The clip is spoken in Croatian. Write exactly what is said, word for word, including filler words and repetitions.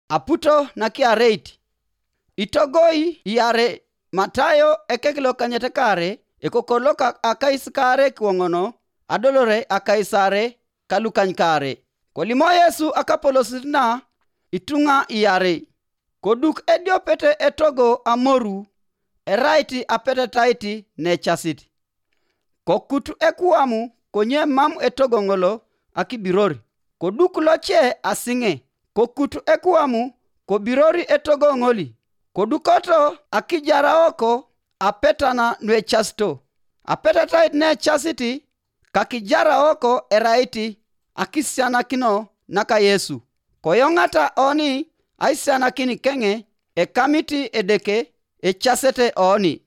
aputo na kiareti. Itogoi yare Matayo ekeklo kanyete kare ekokoloka akais kare kuongono adolore akaisare kalukany kare. Kolimo Yesu akapolosina itunga yare. Koduk edio pete etogo amoru eraiti apete taiti ne chasiti. Kokutu ekuamu konye mamu etogo ngolo akibirori. Koduk loche asinge. Kokutu ekuamu kobirori etogo ngoli. Kodukoto akijara oko apetana nwe chasto. Apeta tait ne chasiti kakijara oko eraiti akisiana kino naka Yesu. Koyongata oni aisiana kini kenge e kamiti edeke e chasete oni.